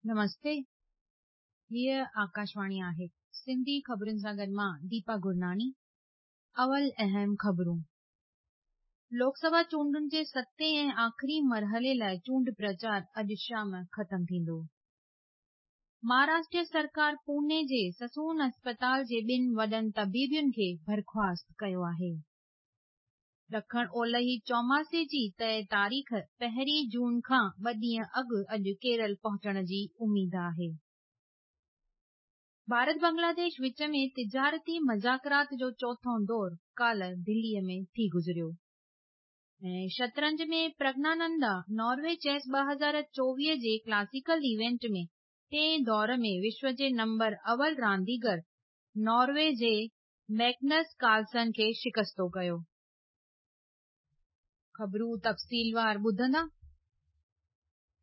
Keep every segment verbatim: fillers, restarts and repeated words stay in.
नमस्ते। हीअ आकाशवाणी आहे। सिंधी ख़बरुनि सां गॾु मां दीपा गुरनानी। अवल अहम ख़बरूं। लोकसभा चूंडुनि जे सतें ऐं आख़िरी मरहले लाइ चूंड प्रचार अॼु शाम ख़तमु थींदो। महाराष्ट्र सरकार पुणे जे ससून अस्पताल जे ॿिनि वॾनि तबीबनि खे बर्खास्त कयो आहे। ॾखण ओलही चौमासे जी तय तारीख़ पहिरीं जून खां ॿ ॾींहं अॻु अॼु केरल पहुचण जी उमेद आहे। भारत बांग्लादेश विच में तिजारती मुज़ाकरात जो चोथों दौर काल्ह दिल्लीअ में थी गुज़रियो। ऐं शतरंज में प्रज्ञानंदा नॉर्वे चेस ॿ हज़ार चोवीह जे क्लासिकल इवेंट में टें दौर में विश्व जे नंबर अवल रांदीगर नॉर्वे जे मैग्नस कार्लसन खे शिकस्तो कयो। ख़बरूं तफ़सीलवार ॿुधंदा।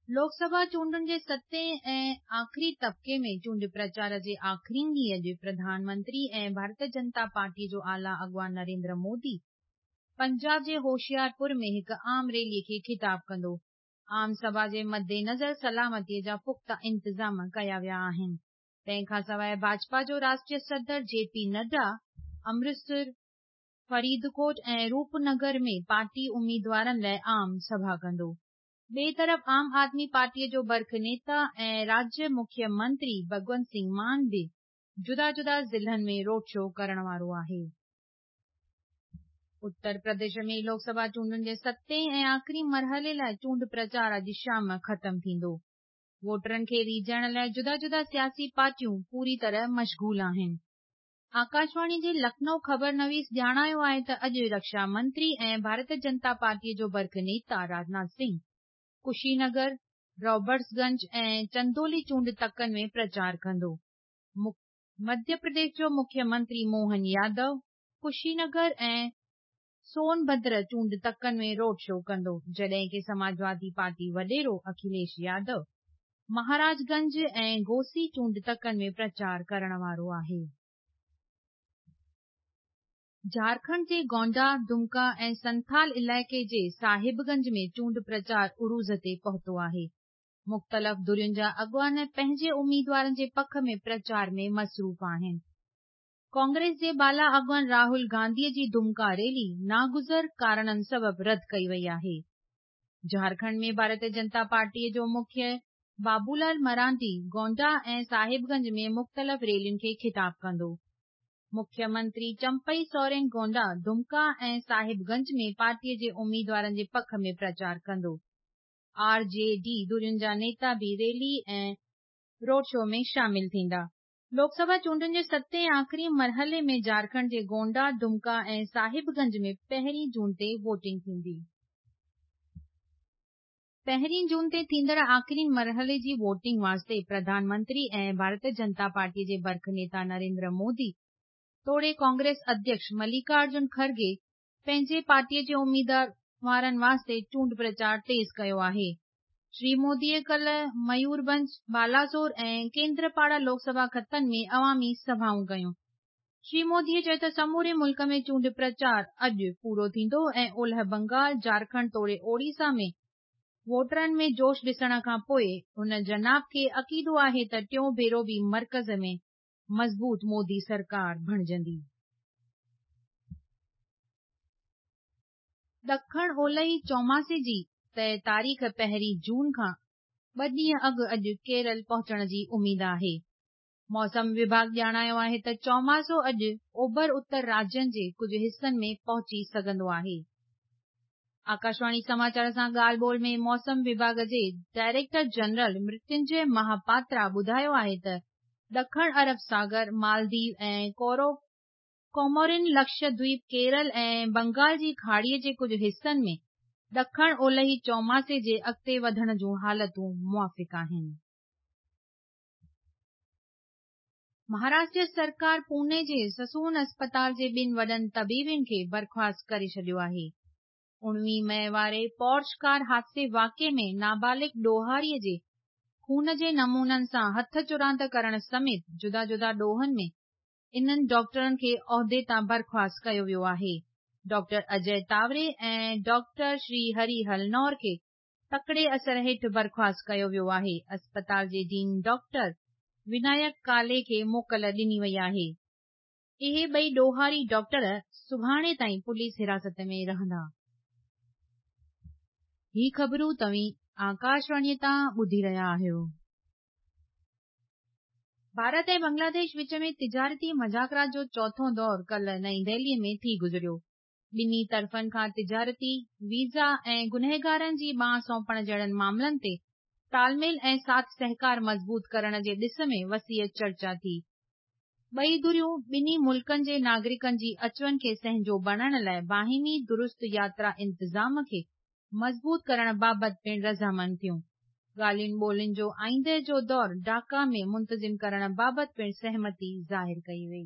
लोकसभा चूंडुनि जे सतें ऐं आख़िरी तबके में चूंड प्रचार जे आख़िरी ॾींहुं अॼु प्रधानमंत्री ऐं भारतीय जनता पार्टी जो आला अॻवान नरेंद्र मोदी पंजाब जे होशियारपुर में हिकु आम रैली खे ख़िताब कंदो। आम सभा जे मद्देनज़र सलामतीअ जा पुख़्ता इंतज़ाम कया विया आहिनि। तंहिंखां सवाइ भाजपा जो राष्ट्रीय सदर जे पी नड्डा अमृतसर, फरीदकोट ऐं रूपनगर में पार्टी उम्मीदवारनि लाइ आम सभा कंदो। ॿिए तरफ़ आम आदमी पार्टीअ जो बर्ख नेता ऐं राज्य मुख्य मंत्री भगवंत सिंह मान बि जुदा जुदा ज़िलनि में रोड शो करण वारो आहे। उत्तर प्रदेश में लोकसभा चूंडुनि जे सतें ऐं आख़िरी मरहले लाइ चूंड प्रचार अॼु शाम ख़तमु थींदो। वोटरनि खे रीझाइण लाइ जुदा जुदा सियासी पार्टियूं पूरी तरह मशगूल आहिनि। आकाशवाणी जे लखनऊ ख़बर नवीस ॼाणायो आहे त अॼु रक्षा मंत्री ऐं भारतीय जनता पार्टीअ जो बर्ख नेता राजनाथ सिंह कुशीनगर, रॉबर्ट्सगंज ऐं चंदोली चूंड तकनि में प्रचार कंदो। मध्य प्रदेश जो मुख्यमंत्री मोहन यादव कुशीनगर ऐं सोनभद्र चूंड तकनि में रोड शो कंदो, जॾहिं की समाजवादी पार्टी वॾेरो अखिलेश यादव महाराजगंज ऐं घोसी चूंड तकनि में प्रचार करण वारो आहे। झारखंड जे गोंडा, दुमका ऐं संथाल इलाइक़े जे साहिबगंज में चूंड प्रचार उरूज ते पहुतो आहे। मुख़्तलिफ़ धुरियुनि जा अॻवान पंहिंजे उम्मीदवारनि जे पख में प्रचार में मसरूफ़ आहिनि। कांग्रेस जे बाला अॻवान राहुल गांधीअ जी दुमका रैली नागुज़र कारणनि सबबि रद्द कई वई आहे। झारखंड में भारतीय जनता पार्टीअ जो मुख्य बाबूलाल मरांडी गोंडा ऐं साहिबगंज में मुख़्तलिफ़ रैलियुनि खे ख़िताब कंदो। मुख्यमंत्री चंपई सोरेन गोंडा, दुमका ऐं साहिबगंज में पार्टीअ जे उम्मीदवारनि जे पख में प्रचार कंदो। आर जे डी धुरियुनि जा नेता बि रैली ऐं रोड शो में शामिल थींदा। लोकसभा चूंडुनि जे सतें ऐं आख़िरी मरहले में झारखंड जे गोंडा, दुमका ऐं साहिबगंज में पहिरीं जून ते वोटिंग थींदी। पहिरीं जून ते थींदड़ आख़िरी मरहले जी वोटिंग वास्ते प्रधानमंत्री ऐं भारतीय जनता पार्टी जे बर्ख नेता नरेंद्र मोदी तोड़े कांग्रेस अध्यक्ष मल्लिकार्जुन खड़गे पंहिंजे पार्टीअ जे उम्मीदवारनि वास्ते चूंड प्रचार तेज़ कयो आहे। श्री मोदीअ कल्ह मयूरभंज, बालासोर ऐं केंद्रपाड़ा लोकसभा खतनि में अवामी सभाऊं कयूं। श्री मोदीअ चयो त समूरे मुल्क में चूंड प्रचार अॼु पूरो थींदो ऐं ओलह बंगाल, झारखंड तोड़े ओडिशा में वोटरनि में जोश ॾिसण खां पोइ हुन जनाब खे अक़ीदो आहे त टियों भेरो बि मर्कज़ में मज़बूत मोदी सरकार बणिजंदी। ॾखण ओलही चौमासे जी तय तारीख़ पहिरीं जून खां ॿ ॾींहं अॻु अॼु केरल पहुचण जी उमेद आहे। मौसम विभाग ॼाणायो आहे त चौमासो अॼु ओभर उत्तर राज्यनि जे कुझु हिसनि में पहुची सघंदो आहे। आकाशवाणी समाचार सां ॻाल्हि ॿोल में मौसम विभाग जे डायरेक्टर जनरल मृत्युंजय महापात्रा ॿुधायो आहे त ॾखण अरब सागर, मालदीव ऐं कोमोरिन लक्षद्वीप, केरल ऐं बंगाल जी खाड़ीअ जे कुझु हिसनि में ॾखण ओलही चौमासे जे अॻिते वधण जूं हालतूं मुआफ़िक़ आहिनि। महाराष्ट्र सरकार पुणे जे ससून अस्पताल जे ॿिनि वॾनि तबीबनि खे बर्खास्त करे छॾियो आहे। उणिवीह मई वारे पॉर्श कार हादसे वाक़िए में नाबालिग ॾोहारीअ जे खून जे नमूननि सां हथ चुरांद करण समेत जुदा जुदा ॾोहनि में इन्हनि डॉक्टरनि खे औहदे तां बर्खास्त कयो वियो आहे। डॉक्टर अजय तावरे ऐं डॉक्टर श्री हरि हलनौर खे تڪڙي اثر هيٺ برخاست ڪيو ويو آهي. اسپتال جي ڊين ڊاڪٽر ونايڪ ڪالي کي موڪل ڏني وئي آهي. اهي ٻئي ڏوهاري ڊاڪٽر سڀاڻي تائين پوليس حراست ۾ رهندا. هي خبرون توهين آڪاشواڻيءَ تان ٻڌي رهيا آهيو. ڀارت ۽ بنگلاديش وچ ۾ تجارتي مذاڪرات جو چوٿون دور ڪالهه نئين دهليءَ ۾ ٿي گذريو. ٻنهي طرفن کان تجارتي، ويزا ۽ گنهگارن جي ٻانهن سونپڻ جهڙن معاملن تي تالميل ۽ ساٿ سهڪار مضبوط ڪرڻ جي ڏس ۾ وسيع چرچا ٿي. ٻئي ڌريون ٻنهي ملڪن جي ناگرڪن جي اچ وڃ کي سهنجو بڻائڻ لاءِ باهمي درست ياترا انتظام کي مضبوط ڪرڻ بابت پڻ رضامند ٿيون. ڳالهين ٻولهين جو آئينده جو دور ڍاڪا ۾ منتظم ڪرڻ بابت پڻ سهمتي ظاهر ڪئي وئي.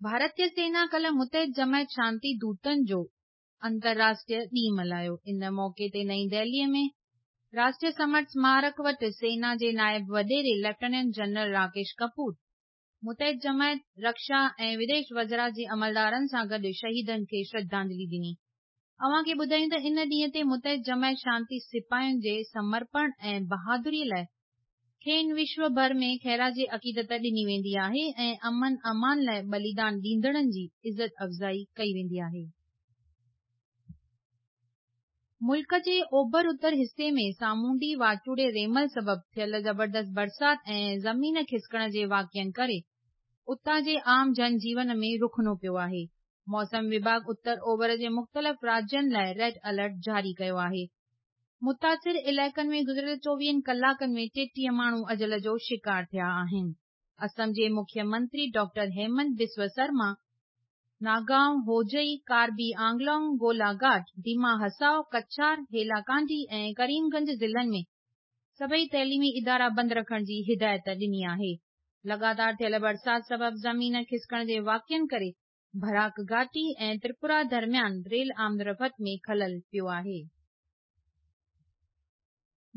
ڀارتيه سينا ڪالهه متحد جماعت شانتي دوتن جو انترراشٽريه ڏينهن ملهايو. ان موقعي تي نئين دهليءَ ۾ راشٽريه سمر سمارڪ وٽ سينا جي نائب وڏيري ليفٽيننٽ جنرل راڪيش ڪپور متحد جماعت، رڪشا ۽ وديش وزارت جي عملدارن سان گڏ شهيدن کي شرڌانجلي ڏني. اوهان کي ٻڌايون ته ان ڏينهن تي متحد جماعت شانتي سپاهين جي سمرپڻ ۽ بهادريءَ لاءِ کين وشو ڀر ۾ خراج عقيدت ڏني ويندي آهي ۽ امن امان لاءِ ٻليدان ڏيندڙن جي عزت افزائي ڪئي ويندي آهي. ملڪ جي اوڀر اتر حصي ۾ سامونڊي واچوڙي ريمل سبب ٿيل زبردست برسات ۽ زمين کسڪڻ جي واقعن ڪري اتان جي عام جن جيون ۾ رخنو پيو آهي. موسم وڀاڳ اتر اوڀر جي مختلف راجين لاءِ ريڊ الرٽ جاري ڪيو آهي. متاثر علائقن ۾ گذريل چوويهن ڪلاڪن ۾ ٽيٽيهه ماڻهو اجل جو شڪار ٿيا آهن. اسم جي مکيه منتري ڊاڪٽر هيمنت بسوا شرما ناگائون، هوجئي، ڪاربي آنگلونگ، گولاگهاٽ، ديما هسائو، ڪڇار، هيلاڪانڊي ۽ ڪريم گنج ضلعن ۾ سڀئي تعليمي ادارا بند رکڻ جي هدايت ڏني آهي. لڳاتار ٿيل برسات سبب زمين کسڪڻ جي واقعن ڪري براڪ گهاٽي ۽ تريپورا درميان ريل آمدرفت ۾ خلل پيو آهي.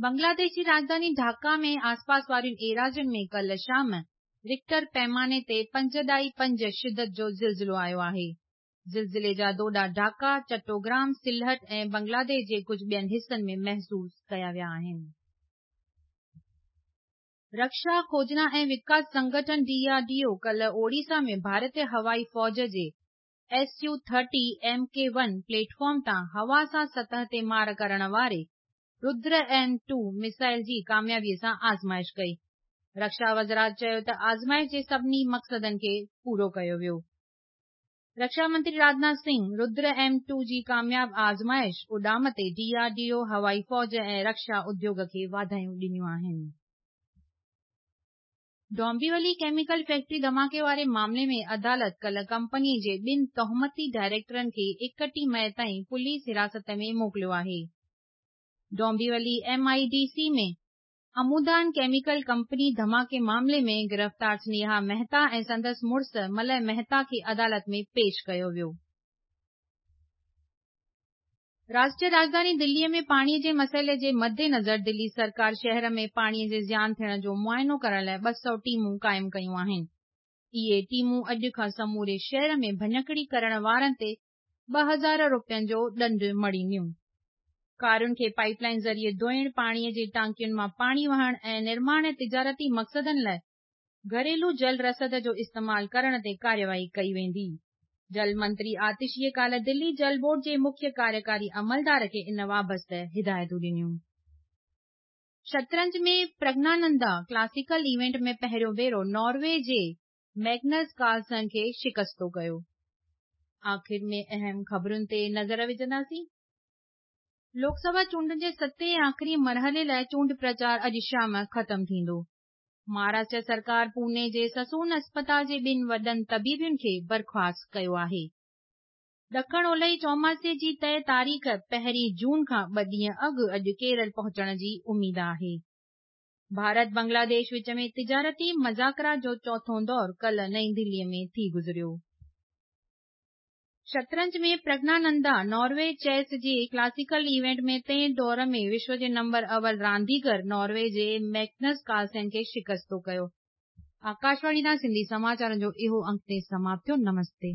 بنگلاديش جي راڄڌاني ڍاڪا ۾ آسپاس وارين ايراضين ۾ ڪالهه شام رڪٽر پيماني تي پنج ڏهائي پنج شدت جو زلزلو آيو آهي. زلزلي جا دوڏا ڍاڪا، چٽوگرام، سلهٽ ۽ بنگلاديش جي ڪجهه ٻين حصن ۾ محسوس ڪيا ويا آهن. رڪشا کوجنا ۽ وڪاس سنگٺن ڊي آر ڊي او ڪالهه اوڙيسا ۾ ڀارتيه هوائي فوج جي S U thirty M K one platform تان هوا سان سطح تي مار ڪرڻ واري ردر ايم ٽو ميزائل جي ڪاميابيءَ سان آزمائش ڪئي. رڪشا وزارت چيو ته آزمائش جي سڀني مقصدن کي پورو ڪيو ويو. رڪشا منتري راجناٿ سنگهه ردر ايم ٽو جي ڪامياب آزمائش اڏام تي ڊي آر ڊي او، هوائي فوج ۽ رڪشا اديوگ کي واڌايون ڏنيون آهن. ڊومبيولي ڪيميڪل فيڪٽري ڌماڪي واري معاملي ۾ عدالت ڪالهه ڪمپني جي ٻن تهمتي ڊائريڪٽرن کي ايڪٽيهه مئي تائين پوليس حراست ۾ موڪليو آهي. Dombivli M I D C ۾ امودان chemical company ڌماڪي معاملي ۾ گرفتار سنيها مهتا ۽ سندس مڙس ملي مهتا کي عدالت ۾ پيش ڪيو ويو. راشٽريه راڄڌاني دليءَ ۾ پاڻيءَ جي مسئلي جي مدنظر دلي سرڪار شهر ۾ پاڻيءَ جي زيان ٿيڻ جو معائنو ڪرڻ لاءِ ٻه سؤ ٽيمون قائم ڪيون آهن. اهي ٽيمون اڄ کان سموري شهر ۾ ڀڃڪڙي ڪرڻ وارن تي ٻه هزار رپين جو ڏنڊ مڙهينديون. ڪارن کي پائپ لائن ذريعي ڌوئڻ، پاڻيءَ جي ٽانڪين مان پاڻي وهڻ ۽ نرماڻ ۽ تجارتي مقصدن لاءِ گهريلو جل رسد جو استعمال ڪرڻ تي ڪارروائي ڪئي ويندي. جل منتري آتشيءَ ڪالهه دلي جل بورڊ جي مکيه ڪاريڪاري عملدار کي ان وابسته هدايتون ڏنيون. شطرنج ۾ پرگنانندا ڪلاسيڪل ايونٽ ۾ پهريون ڀيرو ناروي جي ميگنس ڪارلسن کي شڪستو ڪيو. آخر ۾ اهم خبرن تي نظر وجهنداسين. لوڪسڀا چونڊن جي ستين ۽ آخري مرحلي لاءِ چونڊ پرچار اڄ شام ختم ٿيندو. مهاراشٽر سرڪار پوني جي سسون اسپتال جي ٻن وڏن طبيبن کي برخاست ڪيو آهي. ڏکڻ اولهي چوماسي جي طئي تاريخ پهرين جون کان ٻه ڏينهن اڳ اڄ ڪيرل پهچڻ جي اميد آهي. ڀارت بنگلاديش وچ ۾ تجارتي مذاڪرات جو چوٿون دور ڪالهه نئين دليءَ ۾ ٿي گذريو. شطرنج ۾ پرگنانندا ناروي چيس جي ڪلاسيڪل ايونٽ ۾ ٽئين دور ۾ وشو جي نمبر اول رانديگر ناروي جي ميگنس ڪارلسن کي شڪستو ڪيو. آڪاشواڻي تان سنڌي سماچارن جو اهو انڪ تي سماپت ٿيو. نمستي.